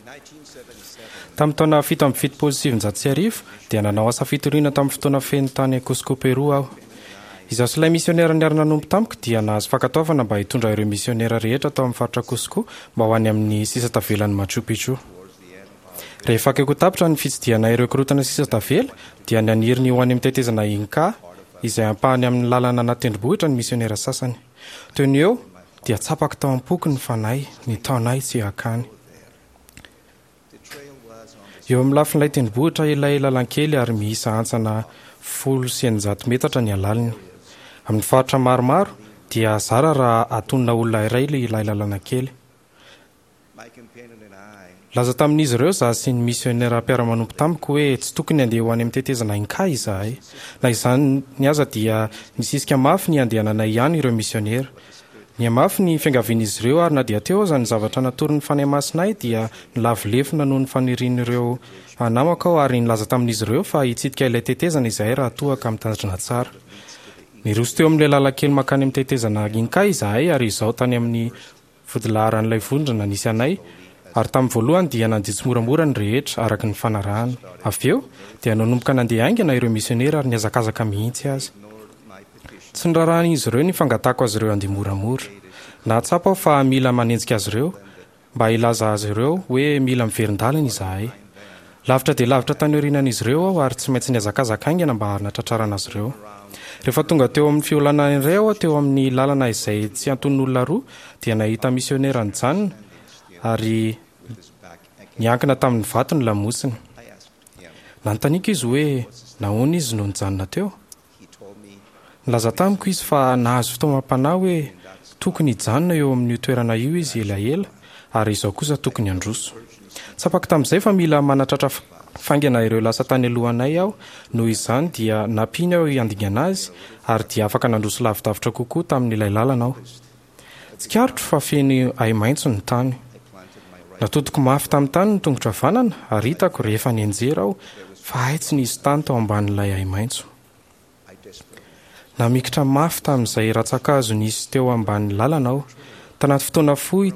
Tamin'ny taona 1977 dia nanao asa fitoriana tamin'ny fotoana feno tany Cusco, Pérou aho. Izaho sy ilay misionera niara-nanompo tamiko dia nahazo fankatoavana mba hitondra ireo misionera rehetra tao amin'ny faritra Cusco mba ho any amin'ny sisa tavelan'i Machu Picchu. Rehefa akaiky ho tapitra ny fitsidihanay ireo korontana sisa tavela dia naniry ny ho any amin'ny tetezana Inca, izay ampahany amin'ny lalana anaty tendrombohitra ny misionera sasany. Teo no eo dia tsapako tao am-poko ny Fanahy nitaona ahy tsy hankany. Eo amin'ny lafin'ilay tendrombohitra ilay lalan-kely ary miisa hantsana 610 metatra ny halaliny. Amin'ny faritra maromaro dia zara raha atonina olona iray ilay lalana kely. Nilaza tamin'izy ireo izaho sy ny misionera mpiara-manompo tamiko hoe tsy tokony handeha ho any amin'ny tetezana Inca izahay. Na izany aza dia nisisika mafy ny handehananay ihany ireo misionera. Nihamafy ny fiangavian'izy ireo ary na dia teo aza ny zavatra natoron'ny Fanahy Masina ahy dia nilavo lefona noho ny fanirian'ireo namako aho ary nilaza tamin'izy ireo fa hitsidika ilay tetezana izahay raha toa ka mitandrina tsara. Niroso teo amin'ilay lalan-kely mankany amin'ny tetezana Inca izahay ary izao tany amin'ny Vodilaharan'ilay vondrona nisy anay, ary tamin'ny voalohany dia nandeha tsimoramora ny rehetra, araka ny fanarahana. Avy eo, dia nanomboka nandeha haingana ireo misionera ary nihazakazaka mihitsy aza. Tsy noraharahin'izy ireo ny fangatahako azy ireo handeha moramora. Nahatsapa aho fa mila manenjika azy ireo, mba hilaza azy ireo hoe mila miverin-dalana izahay. Lavitra dia lavitra tany aorianan'izy ireo aho ary tsy maintsy nihazakazaka haingana mba hanatratrarana azy ireo. Rehefa tonga teo amin'ny fiolana indray aho teo amin'ny lalana izay tsy antonon'olona roa dia nahita misionera nijanona ary niankina tamin'ny vato ny lamosiny. Nanontaniako izy hoe nahoana izy no nijanona teo. Nilaza tamiko izy fa nahazo fitaomam-panahy hoe tokony hijanona eo amin'io toerana io izy elaela ary izaho kosa tokony handroso. Tsapako tamin'izay fa mila manatratra faingana ireo lasa tany alohanay aho, noho izany dia nampiany aho handingana azy ary dia afaka nandroso lavidavitra kokoa tamin'ilay lalana aho. Tsikaritro fa feno ahi-maitso ny tany. Natodiko mafy tamin'ny tany ny tongotro havanana ary hitako rehefa nianjera aho fa hay tsy nisy tany tao ambanin'ilay ahi-maitso. Namikitra mafy tamin'izay rantsankazo nisy teo ambanin'ny lalana aho. Tanaty fotoana fohy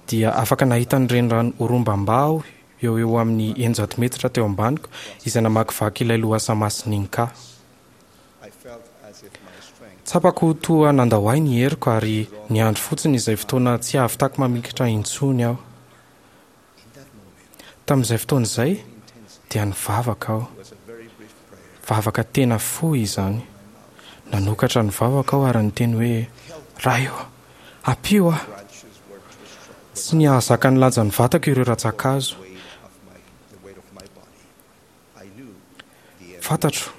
dia afaka nahita ny renirano Urubamba aho eo ho eo amin'ny 600 metatra teo ambaniko izay namakivaky ilay lohasaha masin'i Inca. Tsapako ho toa nandao ahy ny heriko ary niandry fotsiny izay fotoana tsy hahavitako mamikitra intsony aho. Tamin'izay fotoana izay dia nivavaka aho. Vavaka tena fohy izany. Nanokatra ny vavako aho ary niteny hoe, Ray ô, ampio aho! Tsy nahazaka ny lanjan'ny vatako ireo rantsankazo. Fantatro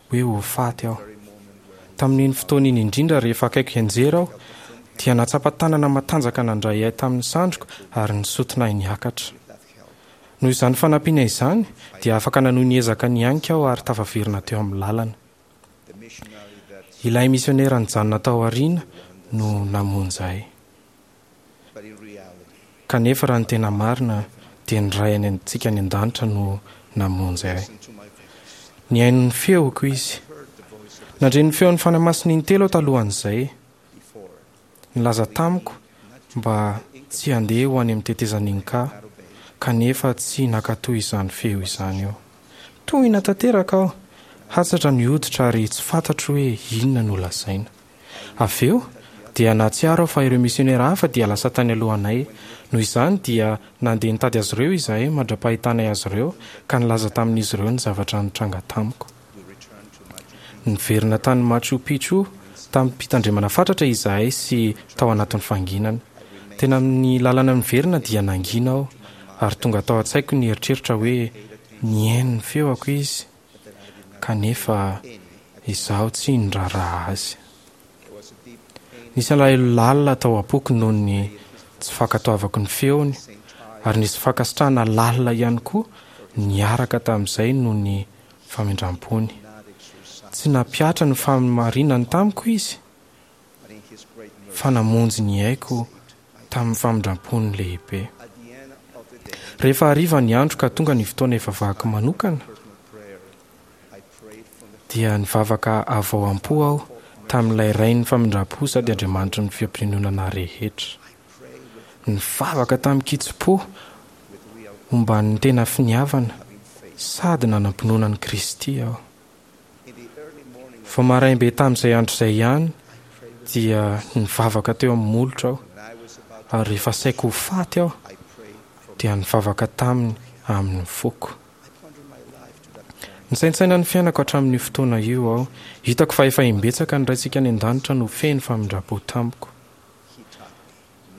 hoe ho faty aho. Tamin'iny fotoana iny indrindra, rehefa akaiky hianjera aho, dia nahatsapa tanana matanjaka nandray ahy tamin'ny sandriko ary nisotona ahy niakatra. Noho izany fanampiana izany, dia afaka nanohy ny ezaka nihanika aho ary tafaverina teo amin'ny lalana. Ilay misionera nijanona tao aoriana no namonjy ahy. Kanefa raha ny tena marina dia ny Ray any antsika any an-danitra no namonjy ahy. Nihaino ny feoko Izy. Nandre ny feon'ny Fanahy Masina intelo aho talohan'izay. Nilaza tamiko mba tsy handeha ho any amin'ny tetezan'i Inca, kanefa tsy nankatò izany feo izany aho. Tohina tanteraka aho, hatsatra ny hoditra ary tsy fantatro hoe inona no lazaina. Avy eo, dia nahatsiaro aho fa ireo misionera hafa dia lasa tany alohanay. Noho izany, dia nandeha nitady azy ireo izahay mandra-pahitanay azy ireo, ka nilaza tamin'izy ireo ny zavatra nitranga tamiko. Niverina tany Machu Picchu tamim-pitandremana fatratra izahay sy tao anatin'ny fahanginana. Tena amin'ny lalana miverina dia nangina aho, ary tonga tao an-tsaiko ny eritreritra hoe nihaino ny feoko izy. kanefa izaho tsy niraharaha azy. Nisy alahelo lalina tao am-poko noho ny tsy fankatoavako ny feony, ary nisy fankasitrahana lalina ihany koa niaraka tamin'izay noho ny famindram-pony. Tsy nampihatra ny fahamarinany tamiko izy, fa namonjy ny aiko tamin'ny famindram-pony lehibe. Rehefa hariva ny andro ka tonga ny fotoana hivavahako manokana, dia nivavaka avy ao am-po aho tamin'ilay Rain'ny famindram-po sady Andriamanitry ny fampiononana rehetra. Nivavaka tamin-kitsim-po omban'ny tena finiavana sady nanam-pinoana an'i Kristy aho. Vao maraim-be tamin'izay andro izay ihany dia nivavaka teo amin'ny molotra aho, ary rehefa saika ho faty aho dia nivavaka taminy amin'ny foko. Nisaintsaina ny fiainako hatramin'io fotoana io aho. Hitako fa efa imbetsaka ny Raintsika any An-danitra no feno famindram-po tamiko.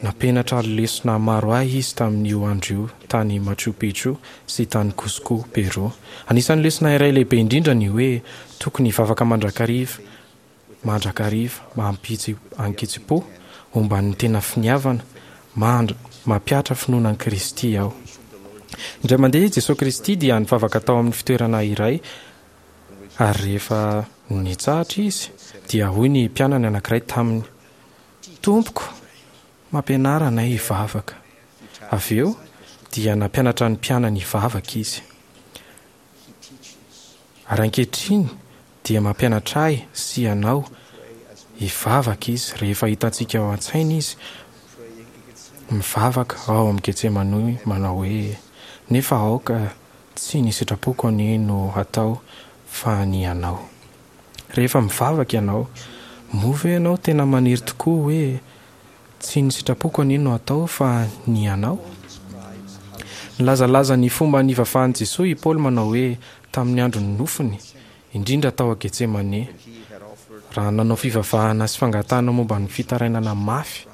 Nampianatra lesona maro ahy izy tamin'io andro io tany Machu Picchu sy tany Cusco, Pérou. Anisan'ny lesona iray lehibe indrindra ny hoe tokony hivavaka mandrakariva, mandrakariva, amin-kitsim-po, omban'ny tena finiavana, mampihatra finoana an'i Kristy aho. Indray mandeha i Jesoa Kristy dia nivavaka tao amin'ny fitoerana iray ary rehefa nitsahatra Izy dia hoy ny mpianany anankiray taminy, Tompoko, mampianara anay hivavaka. Avy eo dia nampianatra ny mpianany hivavaka Izy. Ary ankehitriny dia mampianatra ahy sy ianao hivavaka Izy rehefa hitantsika ao an-tsaina Izy mivavaka ao amin'ny Getsemane manao hoe, Nefa aoka tsy ny sitrapoko anie no hatao fa ny Anao. Rehefa mivavaka ianao, moa ve ianao tena maniry tokoa hoe, Tsy ny sitrapoko anie no atao fa ny Anao? Nilazalaza ny fomba nivavahan'i Jesoa i Paoly manao hoe tamin'ny andron'ny nofony, indrindra tao Getsemane, raha nanao fivavahana sy fangatahana momba ny fitarainana mafy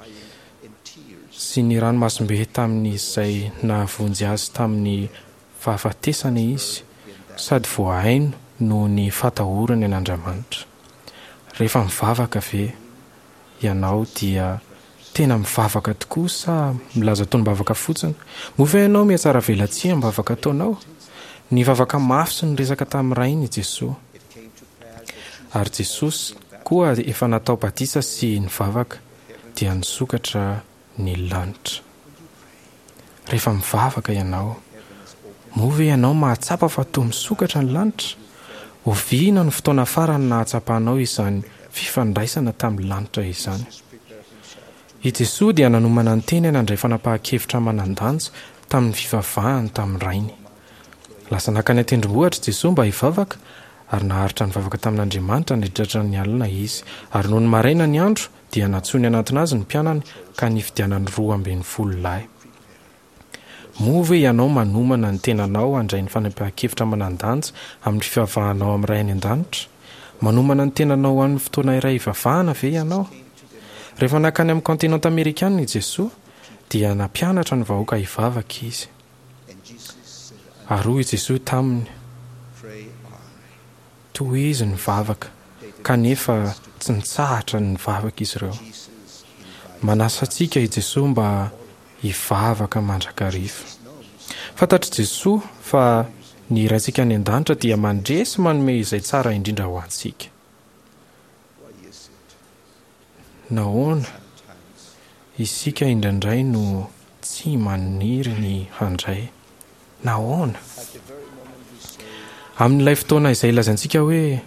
sy ny ranomasom-be tamin'izay nahavonjy azy tamin'ny fahafatesana izy sady voahaino noho ny fatahorany an'Andriamanitra. Rehefa mivavaka ve ianao dia tena mivavaka tokoa sa milaza tonom-bavaka fotsiny? Moa ve ianao mihatsaravelatsihy amin'ny vavaka ataonao? Nivavaka mafy sy niresaka tamin'ny Rainy i Jesoa. Ary Jesosy koa efa natao batisa sy nivavaka dia nisokatra ny lanitra. Rehefa mivavaka ianao, moa ve ianao mahatsapa fa toa misokatra ny lanitra? Oviana no fotoana farany nahatsapanao izany fifandraisana tamin'ny lanitra izany? I Jesoa dia nanomana ny tenany handray fanapahan-kevitra manan-danja tamin'ny fivavahany tamin'ny Rainy. Lasa nankany an-tendrombohitra i Jesoa mba hivavaka, ary naharitra nivavaka tamin'Andriamanitra nandritra ny alina Izy. Ary nony maraina ny andro, Dia nantsoiny hanantona azy ny mpianany ka nifidianany 12 lahy. Moa ve ianao manomana ny tenanao handray ny fanapahan-kevitra manan-danja amin'ny fivavahanao amin'ny Ray any An-danitra? Manomana ny tenanao ho an'ny fotoana iray hivavahana ve ianao? Rehefa nankany amin'ny kaontinanta amerikana i Jesoa, dia nampianatra ny vahoaka hivavaka Izy. Ary hoy i Jesoa taminy, Tohizo ny vavaka, kanefa tsy nitsahatra ny nivavaka izy ireo. Manasa antsika i Jesoa mba hivavaka mandrakariva. Fantatr'i Jesoa fa ny Raintsika any An-danitra dia mandre sy manome izay tsara indrindra ho antsika. Nahoana isika indraindray no tsy maniry ny handray? Nahoana? Amin'ilay fotoana izay ilazaintsika hoe,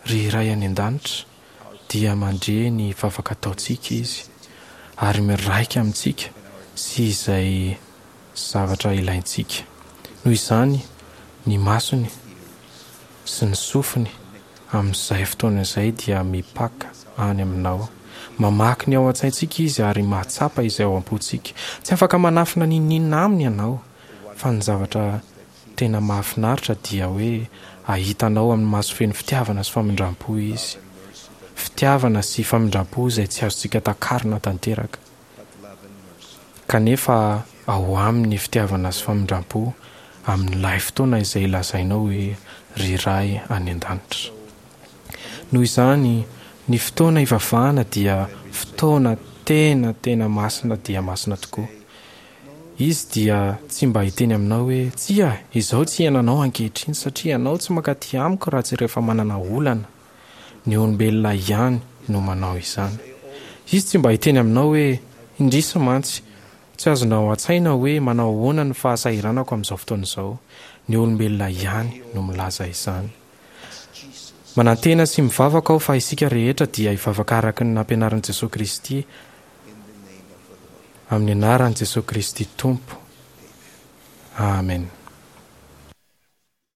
Ry Ray any An-danitra, dia mandre ny vavaka ataontsika Izy, ary miraika amintsika sy izay zavatra ilaintsika. Noho izany, ny masony sy ny sofiny Amin'izay fotoana izay dia mipaka any aminao. Mamaky ny ao an-tsaintsika Izy ary mahatsapa izay ao am-pontsika. Tsy afaka manafina n'inon'inona Aminy ianao. Fa ny zavatra tena mahafinaritra dia hoe hahita anao amin'ny maso feno fitiavana sy famindram-po Izy. Fitiavana sy famindram-po izay tsy azontsika takarina tanteraka. Kanefa ao aminy ny fitiavana sy famindram-po amin'ilay fotoana izay lazainao hoe ry Ray any An-danitra. Noho izany, ny fotoana ivavahana dia fotoana tena tena masina dia masina tokoa. Izy dia tsy mba hiteny aminao hoe, Tsia, izao tsy iainanao ankehitriny satria ianao tsy mankaty amiko raha tsy rehefa manana olana. Ny olombelona ihany no manao izany. Izy tsy mba hiteny aminao hoe, Indrisy mantsy, tsy azonao an-tsaina hoe manao ahoana ny fahasahiranako amin'izao fotoana izao. Ny olombelona ihany no milaza izany. Manantena sy mivavaka aho fa isika rehetra dia hivavaka araka ny nampianarin'i Jesoa Kristy. Amin'ny anaran'i Jesoa Kristy Tompo. Amen.